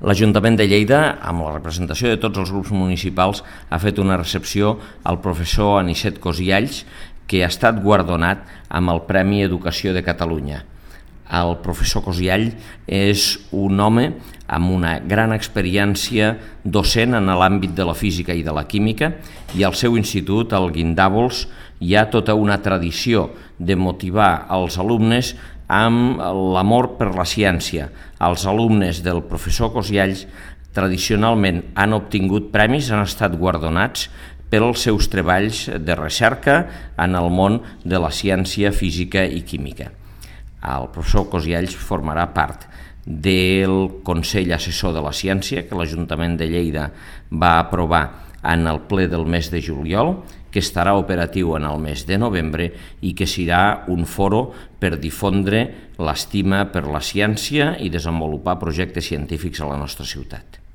L'Ajuntament de Lleida, amb la representació de tots els grups municipals, ha fet una recepció al professor Anicet Cosialls, que ha estat guardonat amb el Premi Educació de Catalunya. El professor Cosialls és un home amb una gran experiència docent en l'àmbit de la física i de la química, i al seu institut, al Guindàvols, hi ha tota una tradició de motivar els alumnes amb l'amor per la ciència. Els alumnes del professor Cosialls tradicionalment han obtingut premis, han estat guardonats pels seus treballs de recerca en el món de la ciència física i química. El professor Cosialls formarà part del Consell Assessor de la Ciència que l'Ajuntament de Lleida va aprovar en el ple del mes de juliol, que estarà operatiu en el mes de novembre i que serà un foro per difondre l'estima per la ciència i desenvolupar projectes científics a la nostra ciutat.